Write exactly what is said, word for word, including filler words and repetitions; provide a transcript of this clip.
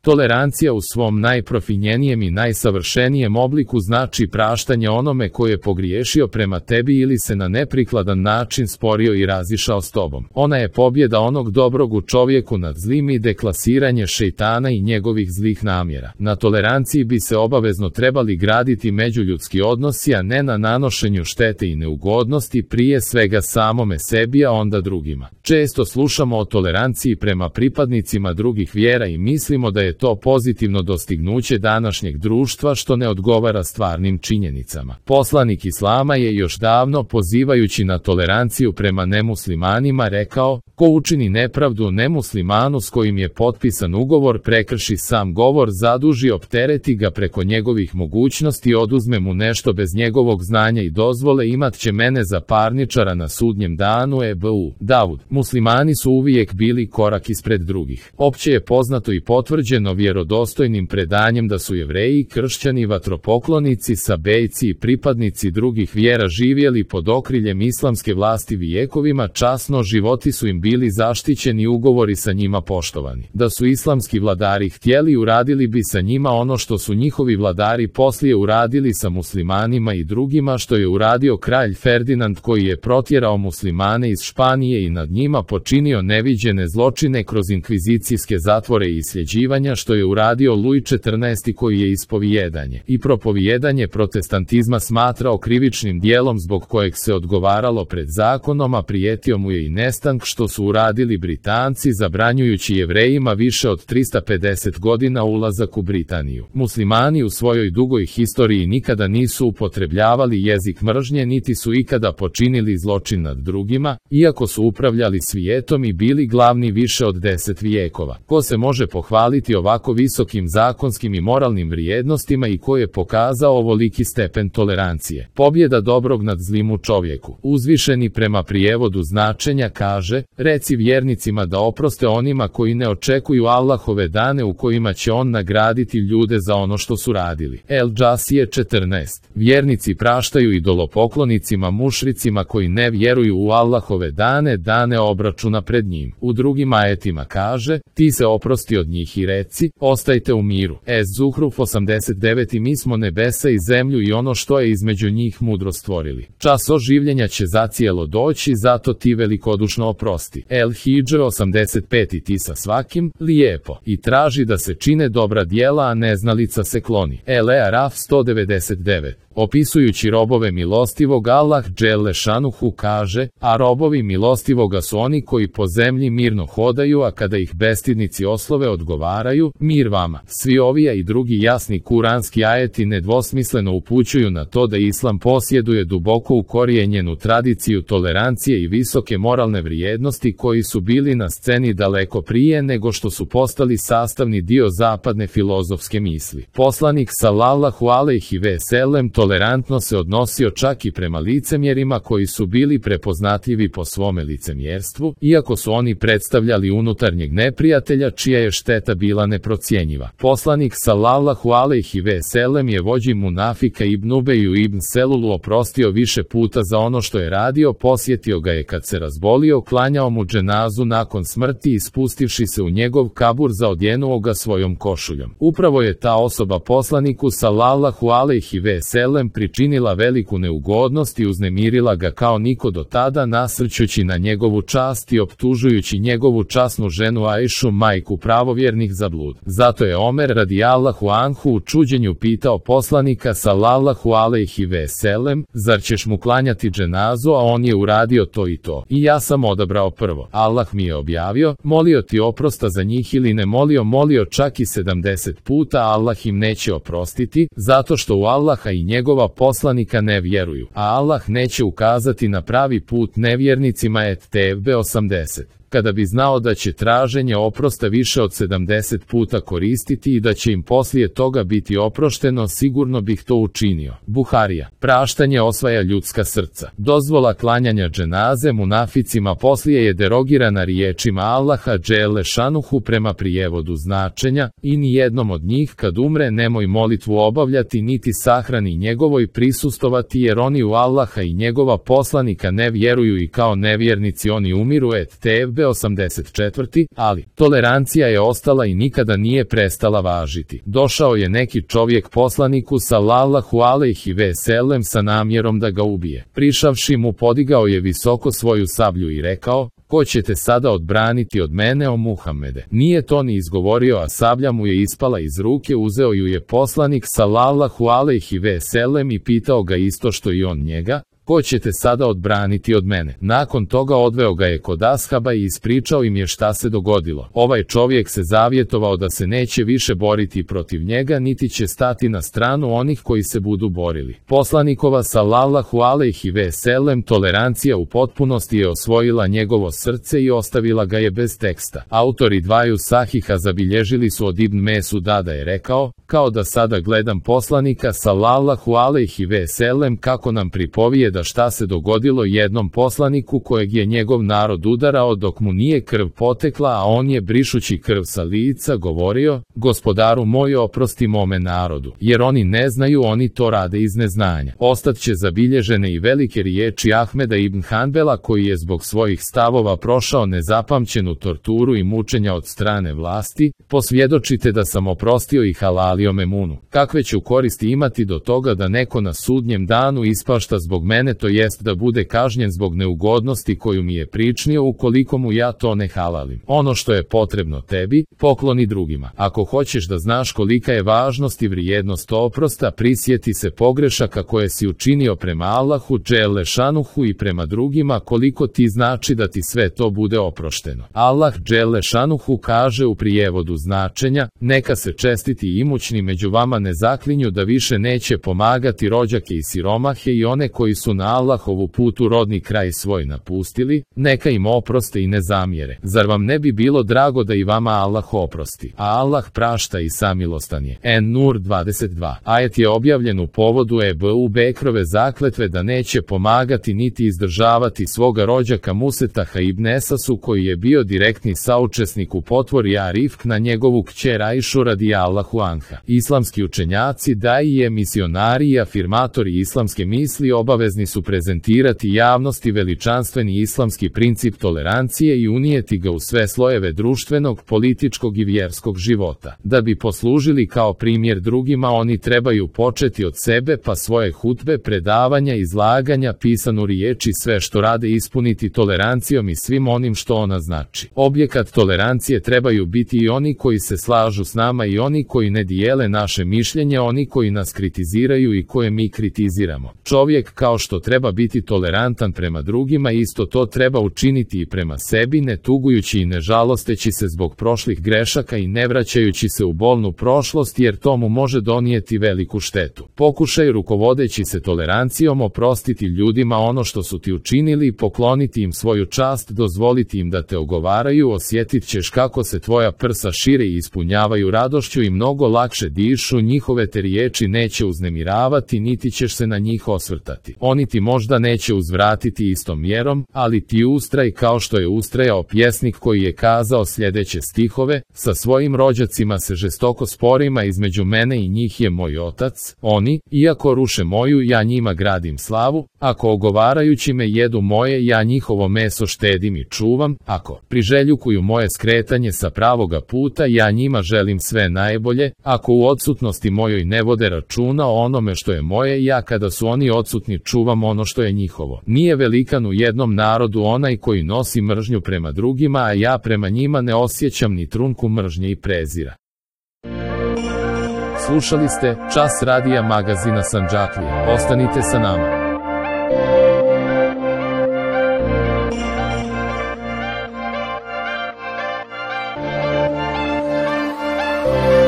Tolerancija u svom najprofinjenijem i najsavršenijem obliku znači praštanje onome ko je pogriješio prema tebi ili se na neprikladan način sporio i razišao s tobom. Ona je pobjeda onog dobrog u čovjeku nad zlim i deklasiranje šejtana i njegovih zlih namjera. Na toleranciji bi se obavezno trebali graditi međuljudski odnosi, a ne na nanošenju štete i neugodnosti, prije svega samome sebi, a onda drugima. Često slušamo o toleranciji prema pripadnicima drugih vjera i mislimo da je to pozitivno dostignuće današnjeg društva, što ne odgovara stvarnim činjenicama. Poslanik Islama je još davno, pozivajući na toleranciju prema nemuslimanima, rekao: ko učini nepravdu nemuslimanu s kojim je potpisan ugovor, prekrši sam govor, zaduži, optereti ga preko njegovih mogućnosti, oduzme mu nešto bez njegovog znanja i dozvole, imat će mene za parničara na sudnjem danu. Ebu Davud. Muslimani su uvijek bili korak ispred drugih. Opće je poznato i potvrđeno vjerodostojnim predanjem da su Jevreji, kršćani, vatropoklonici, sabejci i pripadnici drugih vjera živjeli pod okriljem islamske vlasti vijekovima časno, životi su im bili zaštićeni, ugovori sa njima poštovani. Da su islamski vladari htjeli, uradili bi sa njima ono što su njihovi vladari poslije uradili sa muslimanima i drugima, što je uradio kralj Ferdinand, koji je protjerao muslimane iz Španije i nad njima počinio neviđene zločine kroz inkvizicijske zatvore i isljeđivanja, što je uradio Luj četrnaesti, koji je ispovijedanje i propovijedanje protestantizma smatrao krivičnim dijelom zbog kojeg se odgovaralo pred zakonom, a prijetio mu je i nestank, što su uradili Britanci, zabranjujući Jevrejima više od trista pedeset godina ulazak u Britaniju. Muslimani u svojoj dugoj historiji nikada nisu upotrebljavali jezik mržnje, niti su ikada počinili zločin nad drugima, iako su upravljali svijetom i bili glavni više od deset vijekova. Ko se može pohvaliti ovako visokim zakonskim i moralnim vrijednostima i ko je pokazao ovoliki stepen tolerancije? Pobjeda dobrog nad zlim u čovjeku. Uzvišeni prema prijevodu značenja kaže: reci vjernicima da oproste onima koji ne očekuju Allahove dane u kojima će on nagraditi ljude za ono što su radili. El Džasije četrnaest. Vjernici praštaju idolopoklonicima, mušricima koji ne vjeruju u Allahove dane, dane obračuna pred njim. U drugim ajetima kaže: ti se oprosti od njih i reci: ostajte u miru. Es Zuhruf osamdeset devet. I mi smo nebesa i zemlju i ono što je između njih mudro stvorili. Čas oživljenja će zacijelo doći, zato ti velikodušno oprosti. El Hidž osamdeset pet. I ti sa svakim lijepo i traži da se čine dobra djela, a neznalica se kloni. El Araf sto devedeset devet. Opisujući robove milostivog, Allah dželle šanuhu kaže: a robovi milostivoga su oni koji po zemlji mirno hodaju, a kada ih bestidnici oslove odgovaraju: mir vama. Svi ovi i drugi jasni kuranski ajeti nedvosmisleno upućuju na to da Islam posjeduje duboko ukorijenjenu tradiciju tolerancije i visoke moralne vrijednosti, koji su bili na sceni daleko prije nego što su postali sastavni dio zapadne filozofske misli. Poslanik sallallahu alejhi ve sellem tolerantno se odnosio čak i prema licemjerima koji su bili prepoznatljivi po svome licemjerstvu, iako su oni predstavljali unutarnjeg neprijatelja čija je šteta bila neprocjenjiva. Poslanik sallallahu alejhi ve sellem je vođi munafika Ibn Ubeju ibn Selulu oprostio više puta za ono što je radio, posjetio ga je kad se razbolio, klanjao mu dženazu nakon smrti i spustivši se u njegov kabur zaodjenuo ga svojom košuljom. Upravo je ta osoba poslaniku sallallahu alejhi ve sellem pričinila veliku neugodnost i uznemirila ga kao niko do tada, nasrćući na njegovu čast i optužujući njegovu časnu ženu Ajšu, majku pravovjernih, za blud. Zato je Omer radijallahu anhu u čuđenju pitao poslanika sallallahu alejhi ve sellem: zar ćeš mu klanjati dženazu, a on je uradio to i to. I ja sam odabrao prvo. Allah mi je objavio: molio ti oprosta za njih ili ne molio, molio čak i sedamdeset puta, Allah im neće oprostiti, zato što u Allaha i njegova poslanika ne vjeruju, a Allah neće ukazati na pravi put nevjernicima. Et Tevbe osamdeset. Kada bi znao da će traženje oprosta više od sedamdeset puta koristiti i da će im poslije toga biti oprošteno, sigurno bih to učinio. Buharija. Praštanje osvaja ljudska srca. Dozvola klanjanja dženaze munaficima poslije je derogirana riječima Allaha dželle šanuhu prema prijevodu značenja: i ni jednom od njih kad umre nemoj molitvu obavljati niti sahrani njegovoj prisustovati, jer oni u Allaha i njegova poslanika ne vjeruju i kao nevjernici oni umiru. Et Tevbe Hidžre osamdeset četvrti. Ali, tolerancija je ostala i nikada nije prestala važiti. Došao je neki čovjek poslaniku sallallahu alejhi ve sellem sa namjerom da ga ubije. Prišavši mu, podigao je visoko svoju sablju i rekao: ko će te sada odbraniti od mene, o Muhammede? Nije to ni izgovorio, a sablja mu je ispala iz ruke, uzeo ju je poslanik sallallahu alejhi ve sellem i pitao ga isto što i on njega: ko će te sada odbraniti od mene? Nakon toga odveo ga je kod ashaba i ispričao im je šta se dogodilo. Ovaj čovjek se zavjetovao da se neće više boriti protiv njega, niti će stati na stranu onih koji se budu borili. Poslanikova sallallahu alejhi ve sellem tolerancija u potpunosti je osvojila njegovo srce i ostavila ga je bez teksta. Autori dvaju sahiha zabilježili su od Ibn Mesuda da je rekao: kao da sada gledam poslanika sallallahu alejhi ve sellem kako nam pripovije da šta se dogodilo jednom poslaniku kojeg je njegov narod udarao dok mu nije krv potekla, a on je brišući krv sa lica govorio: gospodaru moj, oprosti mome narodu, jer oni ne znaju, oni to rade iz neznanja. Ostat će zabilježene i velike riječi Ahmeda ibn Hanbela, koji je zbog svojih stavova prošao nezapamćenu torturu i mučenja od strane vlasti: posvjedočite da sam oprostio i halalio memunu. Kakve ću koristi imati do toga da neko na sudnjem danu ispašta zbog mene, to jest da bude kažnjen zbog neugodnosti koju mi je pričinio, ukoliko mu ja to ne halalim. Ono što je potrebno tebi, pokloni drugima. Ako hoćeš da znaš kolika je važnost i vrijednost oprosta, prisjeti se pogrešaka koje si učinio prema Allahu dželle šanuhu i prema drugima, koliko ti znači da ti sve to bude oprošteno. Allah dželle šanuhu kaže u prijevodu značenja: neka se čestiti i imućni među vama ne zaklinju da više neće pomagati rođake i siromahe i one koji su na Allahovu putu rodni kraj svoj napustili, neka im oproste i ne zamjere. Zar vam ne bi bilo drago da i vama Allah oprosti? A Allah prašta i samilostan je. En-Nur dvadeset dva. Ajet je objavljen u povodu Ebu Bekrove zakletve da neće pomagati niti izdržavati svoga rođaka Musetaha ibn Esasu, koji je bio direktni saučesnik u potvori Arifk na njegovu kćer Ajšu radijallahu anha. Islamski učenjaci, daije, misionari i afirmatori islamske misli obavezni su prezentirati javnosti veličanstveni islamski princip tolerancije i unijeti ga u sve slojeve društvenog, političkog i vjerskog života. Da bi poslužili kao primjer drugima, oni trebaju početi od sebe, pa svoje hutbe, predavanja, izlaganja, pisanu riječi, sve što rade ispuniti tolerancijom i svim onim što ona znači. Objekat tolerancije trebaju biti i oni koji se slažu s nama i oni koji ne dijele naše mišljenje, oni koji nas kritiziraju i koje mi kritiziramo. Čovjek kao što treba biti tolerantan prema drugima, isto to treba učiniti i prema sebi, ne tugujući i ne žalosteći se zbog prošlih grešaka i ne vraćajući se u bolnu prošlost, jer to mu može donijeti veliku štetu. Pokušaj rukovodeći se tolerancijom oprostiti ljudima ono što su ti učinili, pokloniti im svoju čast, dozvoliti im da te ogovaraju, osjetit ćeš kako se tvoja prsa šire i ispunjavaju radošću i mnogo lakše dišu, njihove te riječi neće uznemiravati, niti ćeš se na njih osvrtati. Oni ti možda neće uzvratiti istom mjerom, ali ti ustraj kao što je ustrajao pjesnik koji je kazao sljedeće stihove: sa svojim rođacima se žestoko sporim, a između mene i njih je moj otac. Oni, iako ruše moju, ja njima gradim slavu. Ako ogovarajući me jedu moje, ja njihovo meso štedim i čuvam. Ako priželjukuju moje skretanje sa pravoga puta, ja njima želim sve najbolje. Ako u odsutnosti mojoj ne vode računa o onome što je moje, ja kada su oni odsutni čuvam ono što je njihovo. Nije velikan u jednom narodu onaj koji nosi mržnju prema drugima, a ja prema njima ne osjećam ni trunku mržnje i prezira. Slušali ste Čas radija magazina Sandžaklija. Ostanite sa nama. Oh